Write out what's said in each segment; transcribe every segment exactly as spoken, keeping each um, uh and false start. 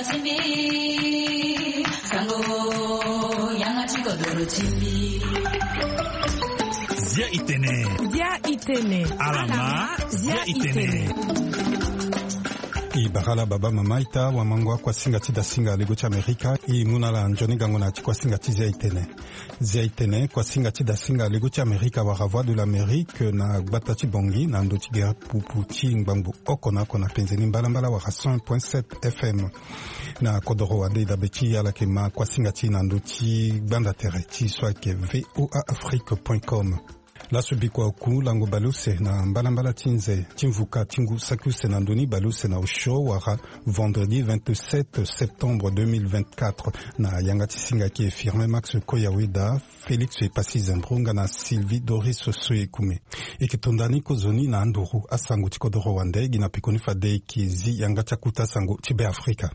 Zia itene. Zia itene. Alama. Zia itene. I bara ala baba mama ita wamango akuasinga ti dasinga lego ti amerika. I mu na ala nzoni gango na ti kuasinga ti zia itene. Zia itene kuasinga ti dasinga lego ti amerika wara voix de l'amérique na gbata ti bongi na ndo ti gere pupu ti ngbangbo oko na oko na penzeni mbalambala wara cent point sept fm. Na kodoro wande i dabe ti ala yeke ma kuasinga ti na ndo ti gbanda tere ti so ayeke voa afrique point com. Laso bikua oku lango baleuse na mbalambala ti nze ti mvuka ti ngu saki use na ndoni baleuse na osio wara vendredi vingt-sept septembre deux mille vingt-quatre. Na yanga ti singa ayeke firme max koyaweda, félix epasi zembro nga na sylvie doris soyekume. Eke tonda ni kozoni na anduru asango ti kodoro wande gi na pekoni fade eke zi yanga ti akuta sango ti be afrika.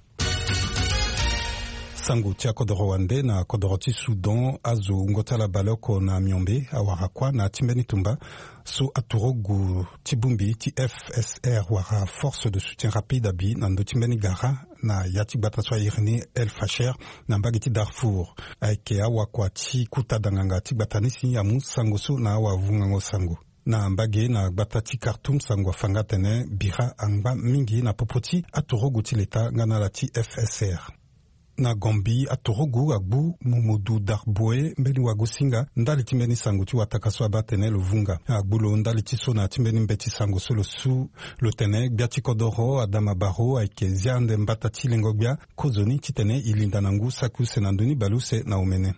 Sango ti akodoro wande na kodoro ti soudan azo wungo ti ala baleoko na miombe awara kuâ na ti mbeni tumba so aturugu ti bongbi ti fsr wara force de soutien rapide abi na ndö ti mbeni gara na ya ti gbata so airi ni el facher na mbage ti darfour. Ayeke awakua ti kuta danganga ti gbata ni si amu sango so na awavungango sango na mbage na gbata ti kartoum sango afa nga atene bira angba mingi na popo ti aturugu ti leta nga na ala ti fsr. Na gombi aturugu agbu momodu darboe mbeni wagosinga ndali ti mbeni sango ti wataka so abaa atene lo vunga agbu lo ndali ti so na ya ti mbeni mbeti sango so lo su lo tene gbia ti kodoro adama baro ayeke zia ande mbata ti lengo gbia kozoni titene e linda na ngu saki use na ndö ni baleuse na omene.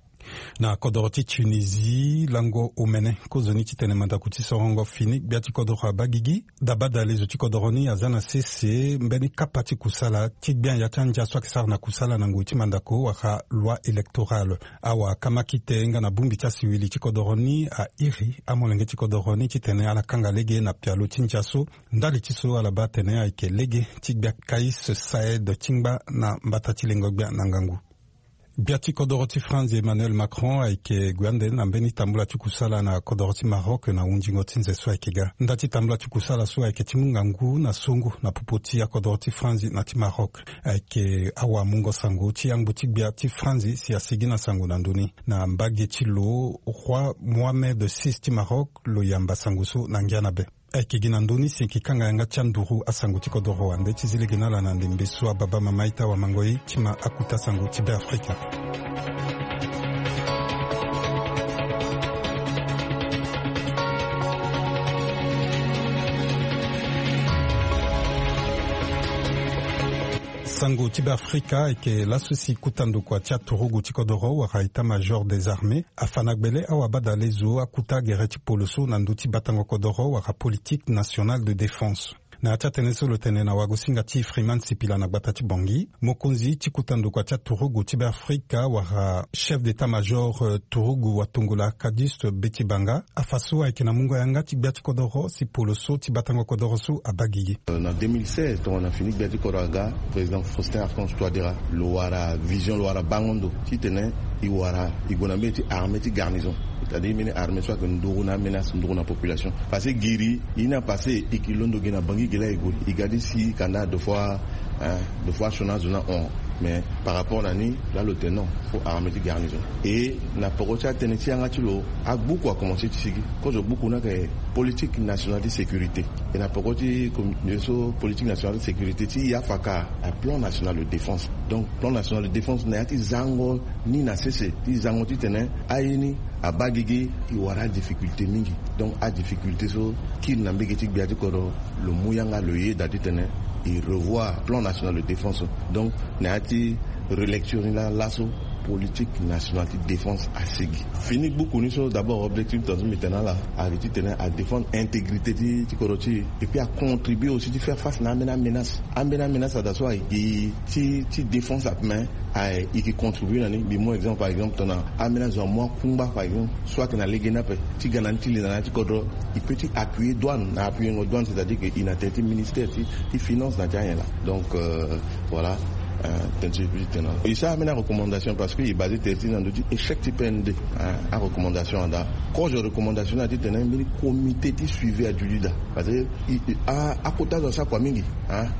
Na kodoro ti tunisie lango omene kozoni titene mandako ti sorongo fini gbia ti kodoro abaa gigi. Dabadalezo ti kodoro ni aza na sese mbeni kapa ti kusala ti gbia ya ti andia so ayeke sara na kusala na ngoi ti mandako wala loi électorale. Awa kamakite nga na bongbi ti asiwili ti kodoro ni airi amolenge ti kodoro ni titene ala kanga lege na pialo ti ndia so ndali ti so ala baa atene ayeke lege ti gbia kais saed ti ngba na mbata ti lengo gbia na ngangu. Gbia ti kodoro ti franzi emmanuel macron ayeke gue ande na mbeni tambula ti kusala na kodoro ti maroc na hunzingo ti nze so ayeke ga nda ti tambula ti kusala so ayeke ti mu ngangu na songo na popo ti akodoro ti franzi na ti maroc. Ayeke awamungo sango ti angbo ti gbia ti franzi si asigi na sango na ndö ni na mbage ti lo roi mohamed six ti maroc lo yamba sango so na ngia na be. Ayeke gi na ndö ni si eke kanga yanga ti anduru asango ti kodoro wande ti zi lege na ala na ndembe so ababa mama ita wamango ye ti ma akuta sango ti be afrika. Sango ti be afrika ayeke laso si kuta ndokua ti aturugu ti kodoro wala état major des armées afa na gbele awabadalezo akuta gere ti poloso na ndö ti batango kodoro wala politique nationale de défense. Na ya ti atene so lo tene na wagosinga ti freeman sipila na gbata ti bongi mokonzi ti kuta ndokua ti aturugu ti be afrika wala chef d'état major turugu watongola kadiste beti banga afa so ayeke na mungo yanga ti gbia ti kodoro si polo so ti batango kodoro so abaa gigi. Na deux mille seize tongana fini gbia ti kodoro aga président faustin archange toidera lo wara vision lo wara bango ndo titene e wara e gue na mbeni ti armée ti garnison, c'est-à-dire mbeni armée so ayeke nduru na aménace nduru na population. Parce que giri e ni apasse e ke londo gi na bangi gi laa e gue e ga ti si kanda deux fois, deux fois asioni azo ni ahon. Mais par rapport na ni laa lo tene non, fo armée ti garnison. E na poko ti atënë ti yanga ti lo agbuku akomanse ti sigi. Kozo gbuku ni ayeke politique nationale ti sécurité. E na poko ti comité so politique nationale ti sécurité ti e afa ka aplan national de défense. Donc plan national de défense na ya ti zango ni na sese ti zango titene aye ni abaa gigi e wara adifficulté mingi. Donc adifficulté so kiri na mbege ti gbia ti kodro lo mu yanga lo yeda titene e revoir plan national de défense. Donc na ya ti relecture ni laa laso politique nationale ti défense asigi. Fini gbuku ni so d'abord objectif ti tonga so mbi tene na ala ayeke titene adéfendre intégrité ti ti kodro ti e et puis acontribuer aussi ti faire face na ambeni aménace. Ambeni aménace ada so ayeke gi ti ti défense ape mais aye e ke contribuer na ni. Mbi mu exemple par exemple tongana ambeni azo amu akungba par exemple so ayeke na lege ni ape ti ga na ni ti linda na ya ti kodro. E peut ti appuyer douane na appuyengo douane c'est-à-dire que e na tene ti ministère ti ti finance na ti anyen laa. Donc voilà. Tene ti e sara mbeni recommandation parce que e basé tere ti na ndö ti échec ti P N D. Recommandation anda, kozo recommandation na ti tene mbeni comité ti suivi adudida. Parce que akota zo asara kua mingi.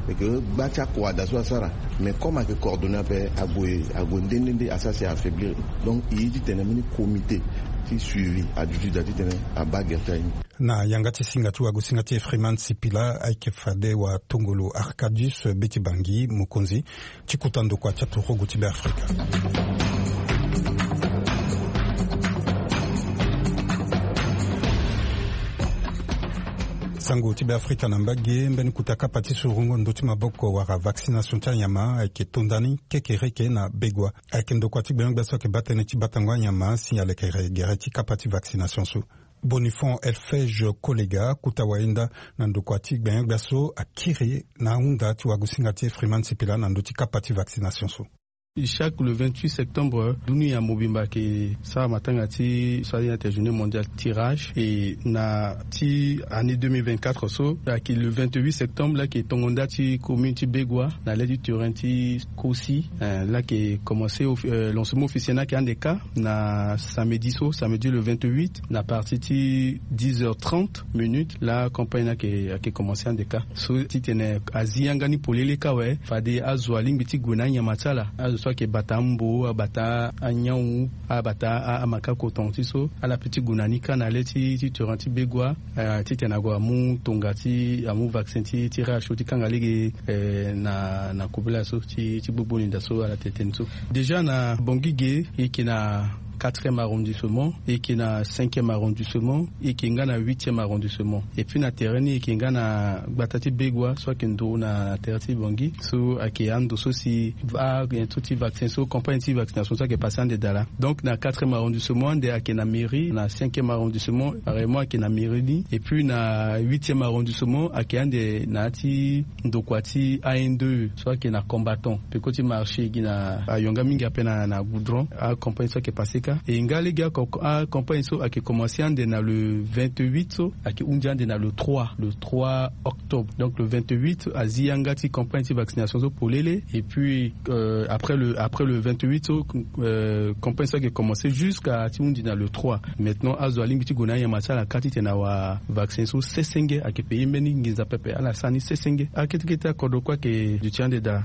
Eke gba ti akua da so asara. Mais comme ake coordonné ape, ague ague nde nde nde asara si aaffaiblir. Donc e ye ti tene mbeni comité ti suivi adudida ti tene abaa gere ti aye ni. Na yanga ti singa ti wagosinga ti e Freeman Sipila, ayeke fade watongolo Arcadius Beti Bangi, mokonzi ti kuta ndokua ti aturugu ti Beafrika. Sango ti Beafrika na mbage, mbeni kuta kapa ti surungo ndö ti maboko wala vaccination ti anyama ayeke to ndani kekereke na Begua. Ayeke ndokua ti gbenyo-gbia so ayeke baa tënë ti batango anyama si alekere gere ti kapa ti vaccination so. Bonifon Elfege Kolega, kuta wayenda na ndokua ti gbenyo-gbia so, akiri na ahunda ti wagosinga ti e Freeman Sipila na ndö ti kapa ti vaccination so. Chaque le vingt-huit septembre, dunia mobimba ayeke sara matanga ti sara ni ate journée mondiale tirage. E na ti année deux mille vingt-quatre so, ayeke le vingt-huit septembre laa ayeke tongo nda ti commune ti Begua na le ti terrain ti Kosi. Laa ayeke commencé, lancement officiel ni ayeke ande kâ na samedi so, samedi le vingt-huit, na partir ti dix heures trente minutes, laa campagne ni ayeke ayeke commencé ande kâ. So ti tene azi yanga ni polele kâ awe, fade azo alingbi ti gue na anyama ti ala. Azo so ayeke bata ambo, abata anyangu, abata amaka koton ti so, ala pe ti gue na ni kâ na le ti ti terrain ti Begua. Ti tene ague amu tonga ti amu vaccin ti ti rash so ti kanga lege na na kobela so ti ti gbogbo linda so ala tene tënë so. Déjà na Bangui ge, e yeke na quatrième arrondissement, e yeke na cinquième arrondissement, e yeke nga na huitième arrondissement. Et puis na terrain ni e yeke nga na gbata ti Begua so ayeke nduru na terrain ti Bangui so ayeke ando so si a nyen so ti vaccin so, campagne ti vaccination so ayeke passé ande daa laa. Donc na quatrième arrondissement ande ayeke na mairie, na cinquième arrondissement pareillement ayeke na mairie ni, et puis na huitième arrondissement ayeke ande na ya ti ndokua ti A N deux so ayeke na Combattant, peko ti marché gi na ayonga mingi ape na na goudron. Acampagne so ayeke passé kâ. E nga lege acampagne so ayeke commencé ande na le vingt-huit so ayeke hunzi ande na le trois, le trois octobre. Donc le vingt-huit azi yanga ti campagne ti vaccination so polele. Et puis après le après le vingt-huit so, campagne so ayeke commencé jusqu'à ti hunzi na le trois. Maintenant azo alingbi ti gue na anyama ti ala kâ ti tene awa vaccin so sesenge. Ayeke payer mbeni nginza pepe, ala sara ni sesenge. Akete kete akodro kue ayeke duti ande daa.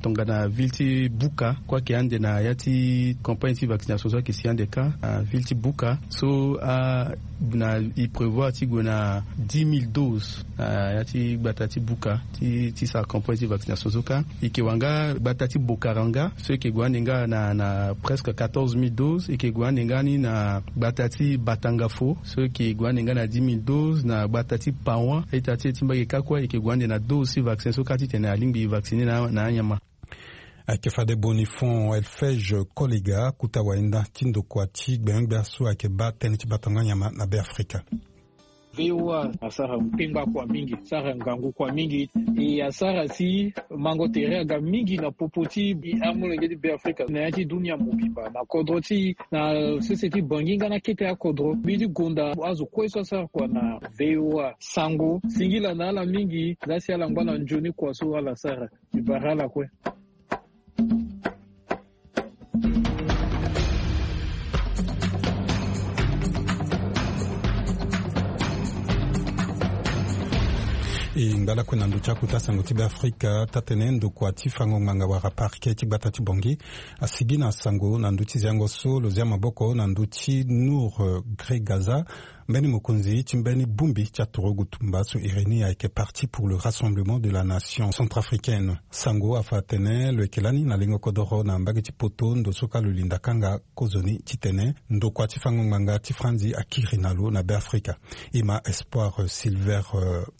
Tongana ville ti Buka kue ayeke ande na ya ti campagne ti vaccination so ayeke si ande kâ. Ville ti Buka so a na e prévoir ti gue na dix mille doses na ya ti gbata ti Buka ti ti sara campagne ti vaccination so kâ. E yeke wanga gbata ti Bokaranga so e yeke gue ande nga na na presque quatorze mille doses. E yeke gue ande nga ni na gbata ti Batangafo so e yeke gue ande nga na dix mille doses, na gbata ti Pawan ita ti e ti mbage kâ kue e yeke gue ande na doses ti vaccin so kâ ti tene alingbi vacciner na na anyama. Ayeke fade Bonifon Elfege Kolega, kuta wayenda ti ndokua ti gbenyo-gbia so ayeke baa tënë ti batango anyama na Beafrika. V O A asara kpengba kua mingi, asara ngangu kua mingi. E asara si mango tere aga mingi na popo ti amolenge ti Beafrika na ya ti dunia mobimba na kodro ti na sese ti Bangui nga na kete akodro. Mbi ti gonda azo kue so asara kua na V O A sango singila na ala mingi. Laa si ala ngba na nzoni kua so ala sara. Mbi bara ala kue. E ngba lakue na ndö ti akuta sango ti Beafrika. Taa-tënë ndokua ti fango ngbanga wala parquet ti gbata ti Bangui asigi na sango na ndö ti ziango so lo zia maboko na ndö ti Nour Gregaza, mbeni mokonzi ti mbeni bongbi ti aturugu tumba so iri ni ayeke Parti pour le Rassemblement de la Nation Centrafricaine. Sango afa atene lo yeke lani na lengo kodoro na mbage ti poto ndo so kâ lo linda kanga kozoni titene ndokua ti fango ngbanga ti Franzi akiri na lo na Beafrika. E ma Espoir Silver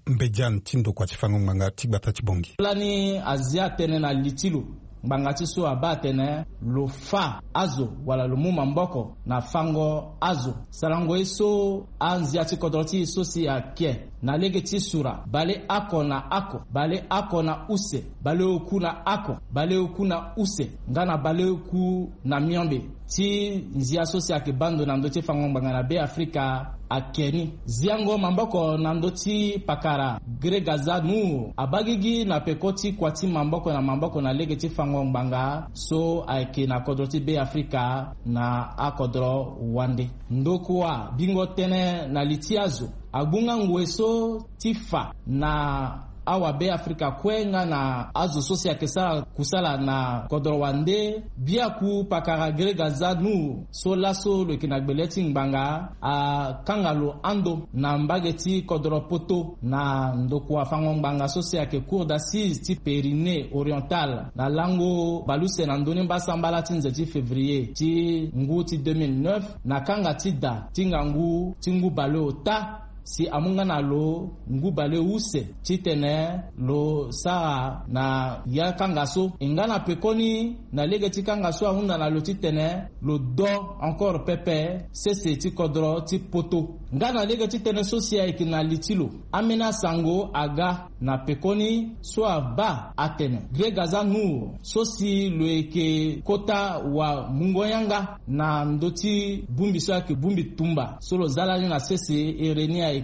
Mbediane ti ndokua ti fango ngbanga ti gbata ti Bangui. Lani azia tënë na li ti lo. Ngbanga ti so abaa atene lo fâ azo wala lo mu maboko na fango azo. Sarango ye so anzia ti kodro ti e so si ayeke na lege ti sura baleoko na oko, baleoko na use, baleoku na oko, baleoku na use nga na baleoku na miombe ti nzia so si ayeke baa ndo na ndö ti fango ngbanga na Beafrika. Ake ni ziango maboko na ndö ti pakara Gregaza Nour abaa gigi na peko ti kua ti maboko na maboko na lege ti fango ngbanga so ayeke na kodro ti Be Afrika na akodro wande. Ndokua bingo tënë na li ti azo agbu nga ngoi so ti fa na awa Be Afrika kue nga na azo so si ayeke sara kusala na kodro wande. Biaku pakara Gregaza Nour so laso lo yeke na gbele ti ngbanga akanga lo ando na mbage ti kodro poto na ndokua fango ngbanga so si ayeke Cour d'assises ti Pyrénées Orientales na lango baleuse na ndö ni mbasambala ti nze ti février ti ngu ti deux mille neuf na kanga ti da ti ngangu ti ngu baleota si amu nga na lo ngu baleuse titene lo sara na ya kanga so. E nga na pekoni na lege ti kanga so ahunda na lo titene lo do encore pepe sese ti kodro ti poto. Nga na lege ti tënë so si ayeke na li ti lo, ambeni asango aga na pekoni so abaa atene Gregaza Nour so si lo yeke kota wamungo-yanga na ndö ti bongbi so ayeke bongbi tumba so lo za lani na sese, ere ni ayeke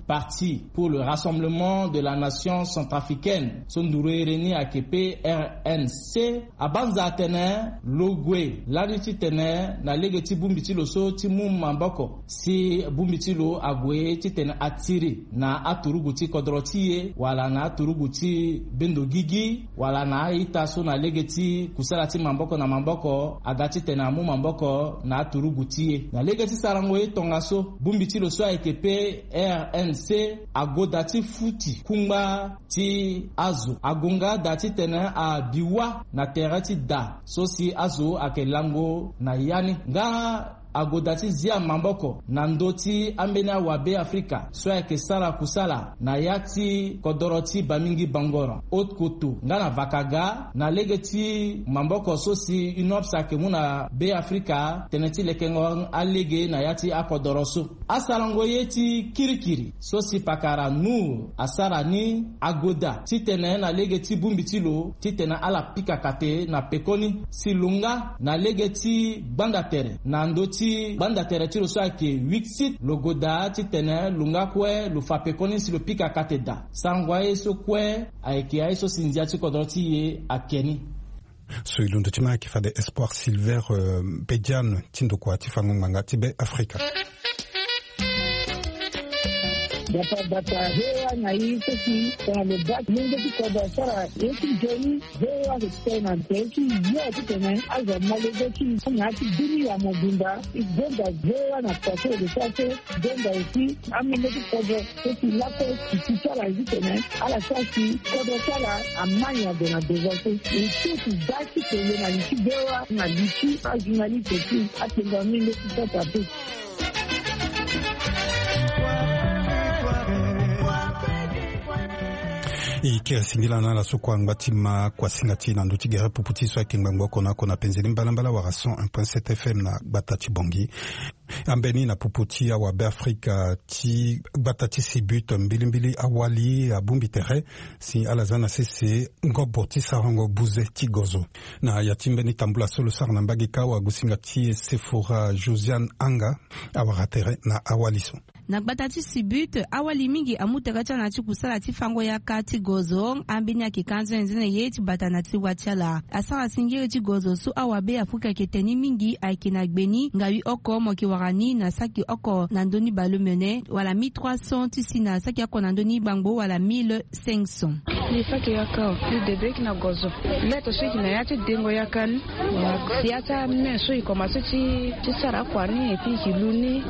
Parti pour le Rassemblement de la Nation Centrafricaine so nduru ere ni ayeke P R N C. Abanza atene lo gue lani titene na lege ti bongbi ti lo so ti mu maboko si bongbi ti lo ague titene atiri na aturugu ti kodro ti e wala na aturugu ti bendo gigi wala na a-ita so na lege ti kusala ti maboko na maboko aga titene amu maboko na aturugu ti e. Na lege ti sarango ye tongaso, bongbi ti lo so ayeke P R N C agoda ti futi kungba ti azo agonga da titene abi wâ na tere ti da so si azo ayeke lango na ya ni. Nga agoda ti zia maboko na ndö ti ambeni awabe Afrika so ayeke sara kusala na ya ti kodoro ti Bamingi Bangoro, Haute-Kotto nga na Vakaga, na lege ti maboko so si UNOPS ayeke mu na Be Afrika tënë ti lekengo alege na ya ti akodoro so. Asarango ye ti kirikiri so si pakara Nour asara ni agoda titene na lege ti bongbi ti lo titene ala pika kate na pekoni si lo nga na lege ti gbanda tere na ndö ti gbanda tere ti lo so ayeke Wixit lo goda titene lo nga kue lo fa pekoni si lo pika kate daa. Sarango aye so kue ayeke aye so si ndia ti kodro ti e ake ni. So e londo ti ma ayeke fade Espoir Silver, euh, Bediane ti ndokua ti fango ngbanga ti Be Afrika. Gbata gbata V O A na e so si tongana lo baa molenge ti kodro asara ye ti nzoni, V O A ayeke tene na tere ti yo titene azo amalege ti na ya ti dunia mobimba. E gonda V O A na poto lo sara so gonda aussi amolenge ti kodro so si lakue si ti ti ala titene ala sara si kodro ti ala amai ade na devant so. E so si baa ti tene na li ti V O A na li ti ajournaliste ti atengo amolenge ti sasa pe. E kiri singila na ala so kua ngba ti ma kuasinga ti e na ndö ti gere pupu ti e so ayeke ngbangbo oko na oko na penze ni mbalambala wala cent un point sept F M na gbata ti Bangui. Ambeni na pupu ti awabe Afrika ti gbata ti Sibut mbilimbili awali abongbi tere si ala za na sese ngobo ti sarango buze ti gozo. Na ya ti mbeni tambula so lo sara na mbage kâ, wagosinga ti e Sephora Josiane Anga awara tere na awali so. Na gbata ti Sibut, awali mingi amu tere ti ala na ti kusala ti fango yaka ti gozo. Ambeni ayeke ka nzene nzene ye ti bata na ti wa ti ala. Asara singiri ti gozo so awabe Afrika ayeke tene ni mingi ayeke na gbe ni ngawi oko mo yeke wara ni na saki oko na ndö ni baleomene wala mille trois cents ti si na saki oko na ndö ni gbangbo wala mille cinq cents. Mbi saki yaka o, mbi debe yeke na gozo. Lettre so yeke na ya ti dengo yaka ni. Si ya ti ame so e komanse ti ti sara akua ni et puis e ke lu ni.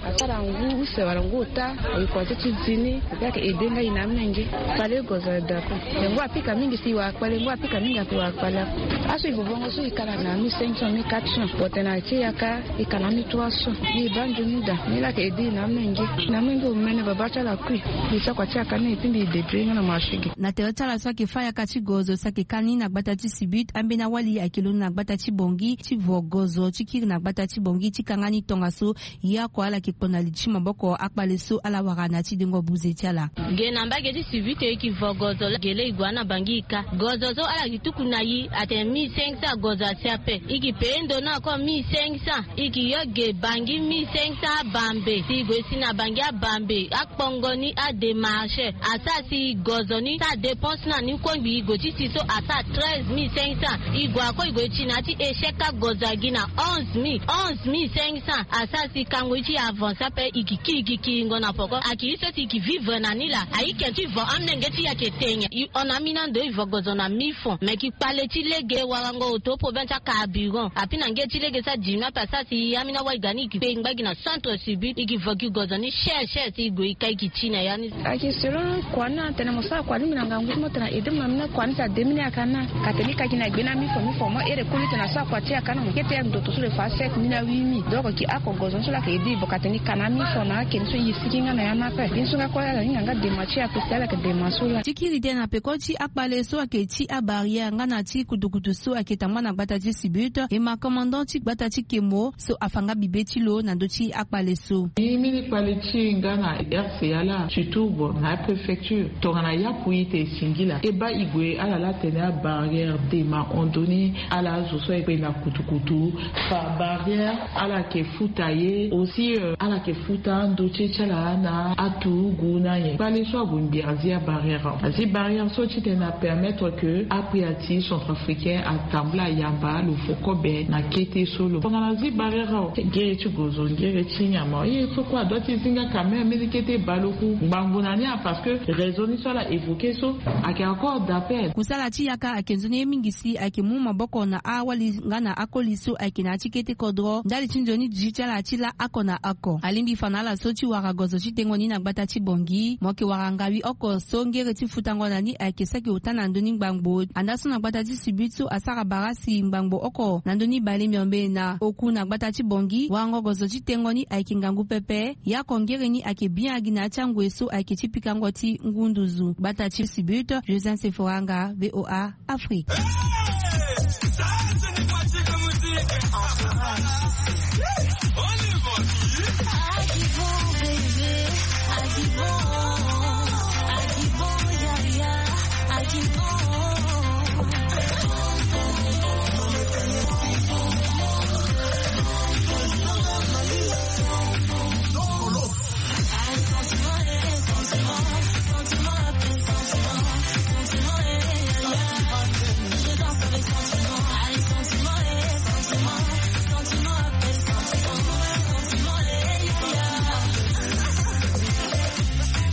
Asara ngu use wala ngu ota, e komanse ti zi ni. Ayeke aidé nga e na amolenge. Fade gozo ada kue. Lengo apika mingi si e wara kpale, lengo apika mingi ayeke wara kpale. Aso e vovongo so e kala na mille cinq cents, mille quatre cents. Bon, tena ti yaka e kala mille trois cents. Mbi baa nzoni daa. Ni laa ayeke aidé e na amolenge. Na amolenge omene babâ ti ala kui. Mbi sara kua ti yaka ni et puis mbi débrouiller nga na marché ge. Na tere Ti ala so ayeke fâ yaka ti gozo si ayeke kani na gbata ti Sibut, ambeni awali ayeke londo na gbata ti Bangui ti vo gozo ti kiri na gbata ti Bangui ti kanga ni tongaso. Ye oko ala yeke kpo na li ti maboko akpale so ala wara na ya ti dengo buze ti ala. Ge na mbage ti Sibut e, e yeke vo gozo laa ge laa e gue na Bangui e ka. Gozo so ala yeke tuku na e atene mille cinq cents gozo asi ape. E yeke pee ndo ni encore mille cinq cents. E yeke yo ge Bangui mille cinq cents abambe. Si e gue si na Bangui abambe, akpongo ni, adémarche asara si gozo ni ti adépense na ni kue ngbii e gue ti si so asara treize mille cinq cents. E gue ako e gue ti na ya ti échec agozo agi na onze mille, onze mille cinq cents. Asara si kango ye ti e avance ape. E yeke kiri e yeke kiringo na poko. Ayeke ye so si e yeke vivre na ni laa. Ayeke ti vo amolenge ti e ayeke te nyen? E hon na ambeni ando e vo gozo na mille francs. Me e yeke kpale ti lege, warango auto problème ti acarburant. Api na nge ti lege so adimi ape asara si ambeni awali ga ni e yeke pe e ngba gi na centre Sibut. E yeke vo gi gozo ni cher cher si e gue e ka e yeke ti na ya ni. Ayeke selon kua ni atene mo sara kua ni mbi na ngangu ti mo tene aide mo na mbeni kua ni si ademi ni ayaka na. Ka tene e ka gi na gbe na mille francs, mille francs mo here koli tene asara kua ti e ayaka na mo kete ya ndo to so lo fa sept mille na huit mille. Donc e yeke oko gozo ni so laa ayeke aide e vo ka tene e ka na mille francs na akeni so e sigi nga na ya ni ape. Mbi so nga kue ala hinga nga dema ti e ape si ala yeke dema so laa. Ti kiri tënë na peko ti akpale so ayeke ti abarrière nga na ti kutukutu so ayeke tambula na gbata ti Sibut, e ma commandant ti gbata ti Kemo so afa nga bibe ti lo na ndö ti akpale so. Ni mbeni kpale ti e nga na R C A laa, surtout bon na apréfecture. Tongana yapu ite singila e baa e gue ala laa tene abarrière dema hon ndo ni. Ala azo so ayeke na kutukutu fa barrière, ala yeke futa ye aussi, euh, ala yeke futa ando ti e ti ala na aturugu na nyen. Kpale so ague mbi azi abarrière. Azi barrière so titene apermettre que apui ati centrafricain atambula ayamba lo fo kobe na kete so lo. Tongana azi barrière awe, ngere ti gozo, ngere ti nyama, ye so kue adoit ti zi nga quand même mbeni kete baleoku ngbangbo na ni a, parce que raison ni so ala évoquer so ayeke accord d'appel. Kusala ti yaka ayeke nzoni ye mingi si ayeke mu maboko na awali nga na akoli so ayeke na ya ti kete kodro ndali ti nzoni duti ti ala ti laa oko na oko. Alingbi fa na ala so ti wara gozo ti tengo ni na gbata ti Bangui. Mo yeke wara ngawi oko so ngere ti futango na ni ayeke saki ota na ndö ni ngbangbo. Andaa so na gbata ti Sibut so asara bara si ngbangbo oko na ndö ni bale miombe na oku na gbata ti Bangui. Warango gozo ti tengo ni ayeke ngangu pepe. Ye oko ngere ni ayeke bien agi na ya ti angoi so ayeke ti pikango ti ngu nduzu. Gbata ti Sibut, Joseph Seforanga, V O A Afrique.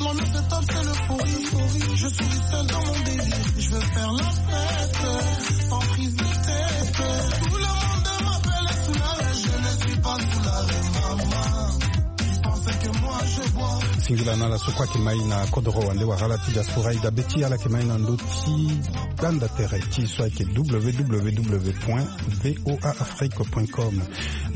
L'ambiance est top, c'est l'euphorie. Je suis seul dans mon délire. Je veux faire la fête sans prise de tête. Tout le monde m'appelle Soulala, je ne suis pas Soulala, maman. Singila na ala so kue ayeke mai na kodoro wande wala ala ti diaspora e dabe ti ala yeke mai na ndö ti gbanda tere ti e so ayeke www point voa afrique point com.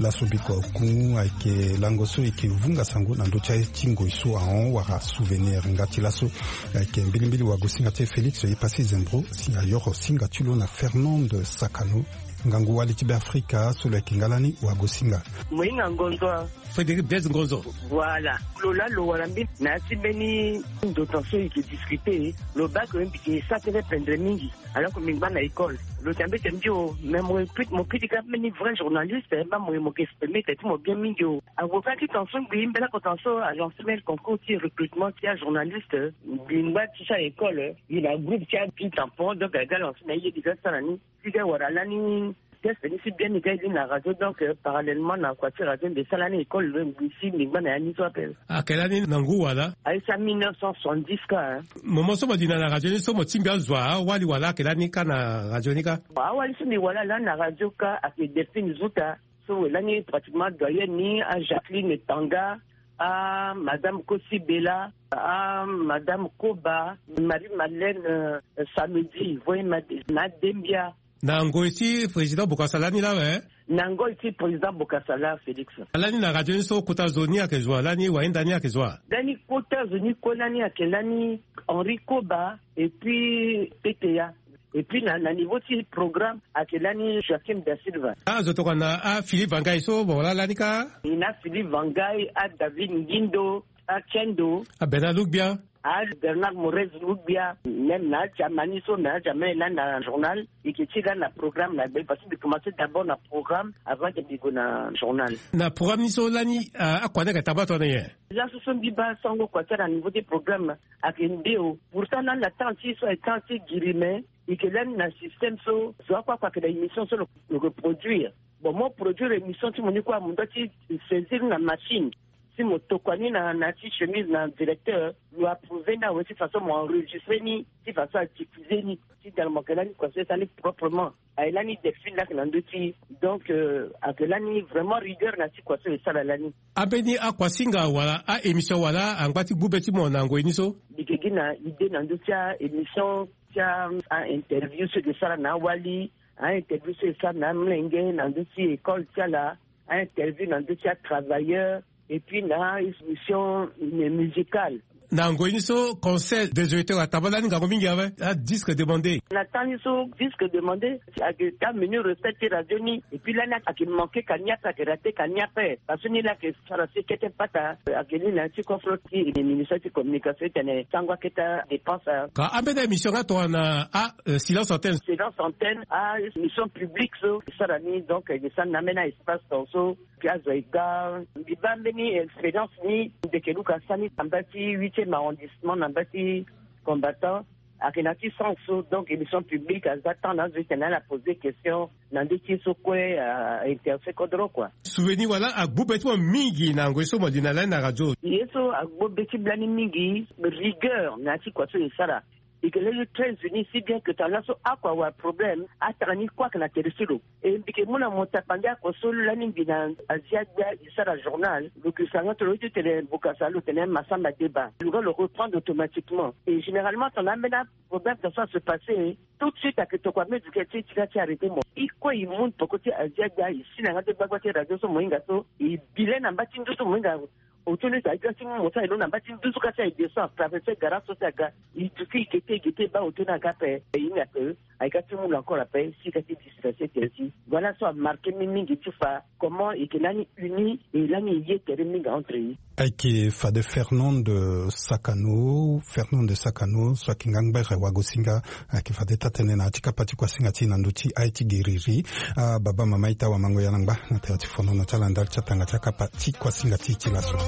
Laso bikua oku ayeke lango so e yeke vunga sango na ndö ti aye ti ngoi so ahon wala souvenir. Nga ti laso ayeke mbilimbili wagosinga ti e Félix Epassi Zembro si ayoro singa ti lo na Fernande Sakano. Ngangu wali ti Beafrika so lo yeke nga lani wagosinga. Mo hinga ngonzo. Frédéric Blaise Ngonzo. Voilà. Lo laa lo wara mbeni na ya ti mbeni ndo tan so e yeke discuter, lo baa ke mbi yeke sara tënë pendre mingi. Alors que mbi ngba na école, lo tene mbeti mbi o, mais mo ye kpeti, mo kpeti kâ mbeni vrai journaliste, eh, baa mo ye mo yeke exprimer tene ti mo bien mingi o. Ague kâ ti tan so ngbii mbela oko tan so a lancer mbeni concours ti recrutement ti ajournaliste. Mbi ngba ti ti a école, mbi na groupe ti a Pin Tampon, donc aga lancer na ye ti ga sara ni. Ti ga wara lani test ni si bien ni ga ye li na radio, donc, euh, parallèlement na kua ti radio mbi sara lani école, euh, mbi si mbi ngba na ya ni so ape. Ayeke lani na ngu wala? Aye sara mille neuf cent soixante-dix kâ, hein. Mo, mo so mo li na na radio ni so mo tingbi azo awali wala ayeke lani kâ na radio ni kâ? Awali so mbi wala lani na radio kâ ayeke Delphine Zuta, so lani pratiquement doyenne ni, a Jacqueline Tanga, a Madame Kosi Bella, a Madame Koba, Marie Madeleine, euh, Samedi, Voye Mad-, na Dembia. Na ngoi ti président Bokassa lani lawe. Na ngoi ti président Bokassa la Félix. Lani na radio ni so kota zo ni ayeke zo wa lani, wahinda ni ayeke zo wa? Lani kota zo ni kue lani ayeke lani Henri Koba et puis P T A. Et puis na, na niveau ti programme ayeke lani Joachim da Silva. Ah, zo tokua na ah, Philippe Vangai so bon wala lani ka. E na Philippe Vangai, ah, David Ngindo, ah, Kendo, ah, Bernard Lugbia, ah, Bernard Morez Lugbia, même na Germany so, na Germany lani na journal. Eke ti lani na programme na gbe parce que mbi commencé d'abord na programme avant que mbi go na journal. Na programme ni so lani, ah, akua ni ayeke tamba tongana nyen? Laso so mbi baa sango kua ti ala na niveau ti programme ayeke nde o. Pourtant lani na temps ti so ayeke temps ti giri me. Eke lani na système so zo akua kua ayeke na émission so lo, lo ke produire. Bon, mo produire émission ti mo ni kue, mo doit ti saisir na machine. Si mo tokua ni na, na ti chemise na directeur, lo approuver ni awe ti façon mo enregistrer ni, ti façon a diffuser ni. Ti tene mo yeke lani kua so e sara ni proprement. Aye lani Delphine lake na ndö ti. Donc, euh, ayeke lani vraiment rigueur na ti kua so e sara lani. Ambeni akuasinga wala a-émission wala angba ti gbu be ti mo na ngoi ni so? Mbi yeke gi na idée na ndö ti a-émission ti a, a-interview so e ke sara na awali, a-interview so e sara na amlenge na ndö ti école ti ala, a-interview na ndö ti atravailleur, et puis na émission musicale. Na ngoi ni so, conseil des auditeurs ataba lani ngangu mingi awe, adisque demandé. Na temps ni so, disque demandé, ayeke ka menu recette ti radio ni, et puis lani ayeke manqué ka ni ape, ayeke raté ka ni ape. Parce que ni lani ayeke sara si kete pata, ayeke ni na ya ti conférence ti ministère ti communication ti tene sango akete adépense. Ka ambeni émission nga tongana a, euh, silence antenne. Silence antenne, a émission publique so e sara ni, donc e sara na ambeni espace ton so. Mbi azo ega, mbi baa mbeni expérience ni ndeke luka sani na mba ti huitième arrondissement na mba ti combattant. Ayeke na ti sens so, donc émission publique aza temps na azo tene ala poser question na ndö ti ye so kue a intéressé kodro kua. Souvenir wala agbu be ti mo mingi na ngoi so mo li na lani na radio? Ye so agbu be ti mbi lani mingi, rigueur na ya ti kua so e sara. E ke lani très unis, si bien que tongana laso akua awara problème, atara ni kue ayeke na tere ti lo. E mbi ke mu na mo tapande akua so lani mbi na Asia Gbia e sara journal, lo ke sara nga tongana lo ye ti tene Bokassa lo tene Massamba Deba, lo nga lo reprendre automatiquement. Et généralement tongana ambeni aproblème ton so a se passer, tout de suite ayeke tokua même duke ti e ti ga ti arrêter mo. E kue e mu peko ti Asia Gbia, e si na nga ti gbagba ti radio so mo hinga so, e bi le na mba ti nduzu mo hinga. Auto ni si aye ga ti mu mo so aye lo na mba ti nduzu ka si aye descend traverser garage so si aga. E duti e gete e gete e baa auto ni aga ape. E hinga ke aye ga ti mu lo encore ape si e ga ti disperser tere ti. Voilà so amarqué mbi mingi ti fa comment e yeke lani uni e lani e ye tere mingi entre e. Ayeke fade Fernande Sakano, Fernande Sakano so ayeke ngangbere wagosinga. Ayeke fade taa-tënë na ya ti kapa ti kuasinga ti e na ndö ti aye ti giriri. Ah, baba mama ita wamango ya na ngba na tere ti fonono ti ala ndali ti atanga ti akapa ti kuasinga ti e ti laso.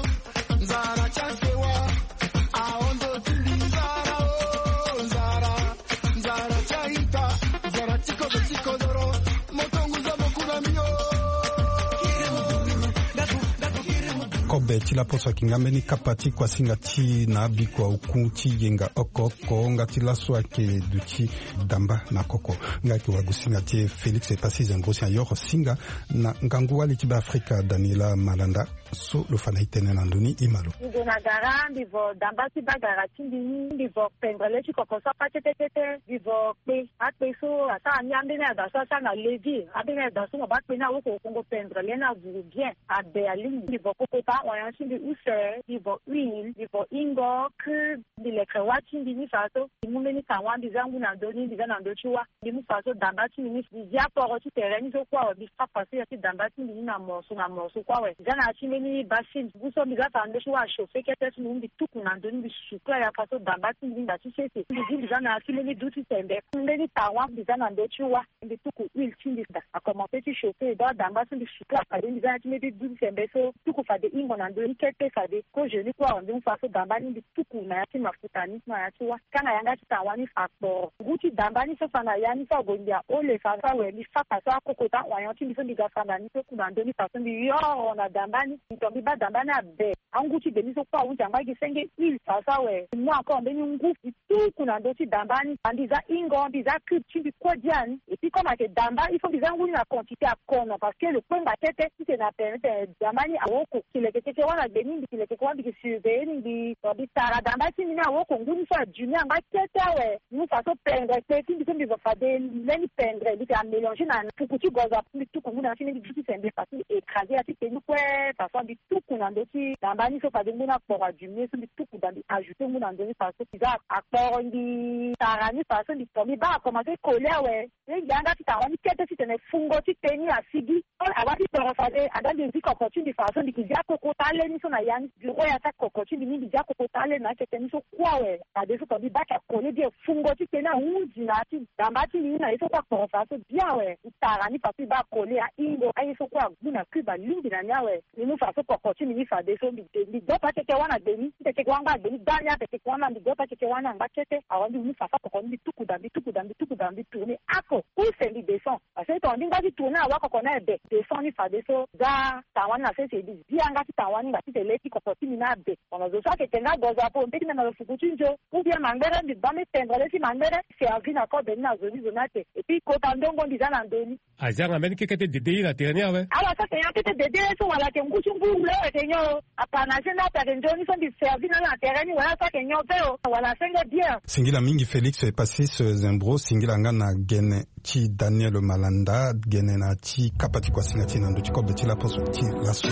Kobe ti laposo ayeke nga mbeni kapa ti kuasinga ti e na abikua oku ti yenga oko oko nga ti laso ayeke duti damba na koko. Nga ayeke wagosinga ti e Félix Epassi Zembrosi ayoro singa na ngangu wali ti Beafrika Daniela Malanda. So lo fa na e tënë na ndö ni, e ma lo. Mbi gue na gara, mbi vo damba ti bagara ti mbi ni, mbi vo pendre le ti koko so apa tete tete, mbi vo kpe. Akpe so asara ni ambeni ada so asara na levi, ambeni ada so mo baa kpe ni awoko kongo pendre le ni avuru bien. Abe alingbi. Mbi vo kokota oignon ti mbi use, mbi vo huile, mbi vo ingo, cube. Mbi lekere wâ ti mbi ni fa so. Mbi mu mbeni tangwa, mbi za ngu na ndö ni, mbi za na ndö ti wâ. Mbi mu fa so damba ti mbi ni, mbi zi aporo ti tere ni so kue awe, mbi fa fa so ya ti damba ti mbi ni na morceau na morceau kue awe. Mbi za na ya ti mbeni bassine, ngu so mbi za fa na ndö ti wâ achauffer kete so mbi mu mbi tuku na ndö ni, mbi sucla ya fa so damba ti mbi ni nda ti sese. Mbi zi mbi za na ya ti mbeni du ti sembe, mbeni tangwa mbi za na ndö ti wâ. Mbi tuku huile ti mbi daa, akomanse ti chauffer, donc adamba so mbi sucla fade mbi za na ya ti mbeni du ti sembe so tuku fade ingo na ndö ni kete fade. Kozo ni kue awe mbi mu fa so damba ni mbi tuku na ya ti mafuta ni na ya ti wâ. Kanga yanga ti tangwa ni fa kporo. Ngu ti damba ni so fa na ya ni so ague mbi ahole fa so awe mbi fa fa so akokota oignon ti mbi so mbi ga fa na ni so ku na ndö ni fa so mbi yoro na damba ni. Mbi to mbi baa damba ni abe. Angu ti gbe ni so kue ahunzi angba gi senge ile faso awe. Mbi mu encore mbeni ngu mbi tuku na ndö ti damba ni. Mbi za hingo, mbi za cube ti mbi kue dia ni. Et puis comme ayeke damba, il faut mbi za ngu ni na quantité akono parce que lo kpengba kete titene apermettre damba ni awoko. Mbi leke keke wâ na gbe ni, mbi leke keke wâ, mbi ke surveiller ni, mbi to mbi tara damba ti mbi ni awoko ngu ni so adimi angba kete awe. Mu faso pendre kpe ti mbi so mbi va fade mbeni pendre mbi ke amélanger na fuku ti gozo apo mbi tuku ngu na ya ti mbi, mbi duti sembe faso mbi écraser ya ti teni kue. Faso mbi tuku na ndö ti damba ni so fade ngu ni akporo adimi ye so mbi tuku da mbi ajouter ngu na ndö ni faso mbi za akporo mbi tara ni faso mbi to mbi baa akomanse coller awe. Ye ngia yanga ti tara ni kete titene fungo ti teni asigi. Awa ti toro fade ada mbi zi koko ti mbi faso mbi ke zi akoko tale ni so na ya ni. Bureau ya ti akoko ti mbi ni mbi zi akoko tale na akete ni so kue awe. Fadeso to mbi baa ti akole bien fungo ti teni ahunzi na ya ti damba ti mbi ni na ye so kue akporo faso bien awe. Mbi tara ni faso mbi baa akole ahingo aye so kue agbu na cube alingbi na ni awe. Mbi mu faso koko ti mbi ni fadeso mbi de mbi dopa keke wâ na gbe ni. Mbi teke wâ angba gbe ni gbani ateke wâ na mbi dopa keke wâ na angba kete. Awa mbi mu faso koko ni mbi tuku da mbi tuku da mbi tuku da mbi tourner ako use mbi descend. Parce que tongana mbi ngba ti tourner awa koko ni abe descend ni fadeso za tanga wani na sese mbi zi yanga ti tanga wani ngba ti tene le ti koko ti mbi ni abe. Tongana zo so ayeke nga gozo apo mbi ti mema lo fuku ti nzo ou bien mangbere mbi baa mbi tendre le ti mangbere. Servi na kobe ni na zo ni zo ni ate. Et puis kota ndongo mbi za na ndö ni. Azia nga mbeni keke ti dede ye na tere ni awe. Ala so ayeke nyon kete dede ye so wala ayeke ngu ti ngu wule awe ayeke nyon o. Apanase ni ape ayeke nzoni so mbi servi na ala na tere ni wala so ayeke nyon ve o wala asenge bien. Singila mingi Félix Epasis Zembro, singila nga na gene ti Daniel Malanda, gene na ti kapa ti kuasinga ti na ndö ti kobe ti laposo ti laso.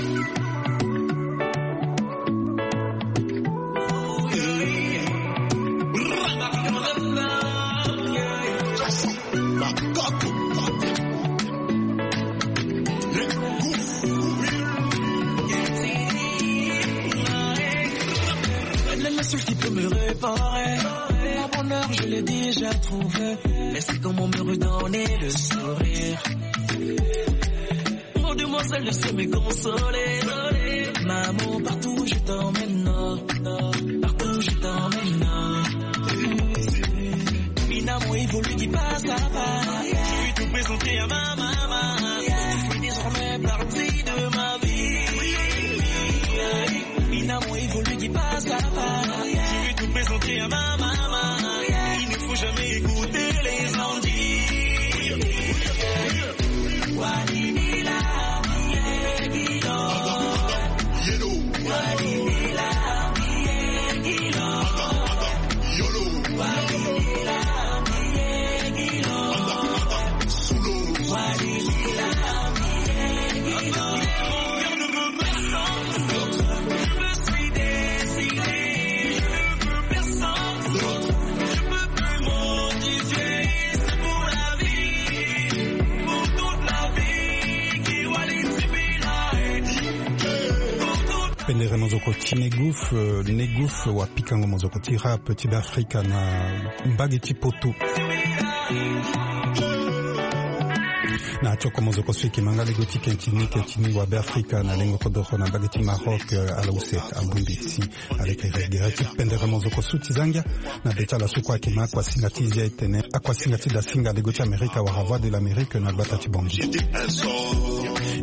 Elle est la seule qui peut me réparer. Mon bonheur, je l'ai déjà trouvé. Elle sait comment me redonner le sourire. Pour demoiselle, je sais me consoler. Maman, partout où je t'emmène, partout où je t'emmène. Mina, mon évolue qui passe à pas. Je vais te présenter à ma maman. Tu fais désormais partie de ma vie. Mina, mon évolue qui passe à pas. Je vais te présenter à ma maman. Il ne faut jamais écouter les gens dire. Pendere mozoko ti Negouf, euh, Negouf wa pikango mozoko ti rap ti Beafrika na mbage ti Poto. Na tioko mozoko so eke ma nga lego ti kentini kentini wa Beafrika na lengo kodoro na mbage ti Maroc, euh, ala use abongbi si. Aleke regere ti pendere mozoko so ti za ngia na be ti ala so kue ayeke ma akuasinga ti zia etene akuasinga ti dasinga lego ti Amerika wala Voix de l'Amérique na gbata ti Bangui.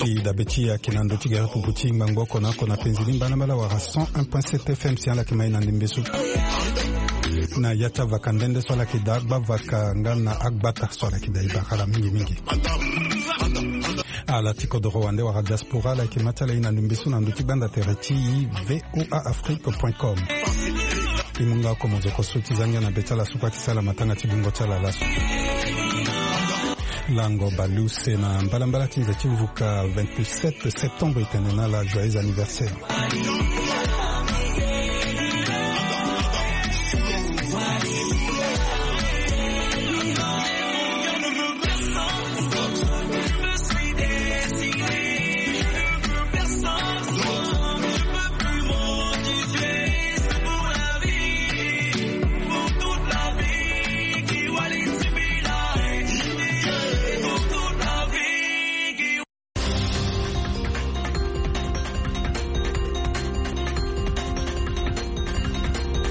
E dabe ti e ayeke na ndö ti gere pupu ti ngbangbo oko na oko na penzi ni mbalambala wala cent un point sept F M si ala yeke ma e na ndembe so. Na ya ti avaka nde nde so ala yeke daa agba vaka nga na agbata so ala yeke daa e bara ala mingi mingi. Ala ti kodoro wande wala diaspora ala yeke ma ti ala e na ndembe so na ndö ti gbanda tere ti e V O A Afrique point com. E mu nga oko mozoko so ti za ngia na be ti ala so kue ayeke sara matanga ti bungo ti ala laso. Lango baleuse na mbalambala ti nze ti vuka vingt-sept septembre e tene na ala joyeux anniversaire.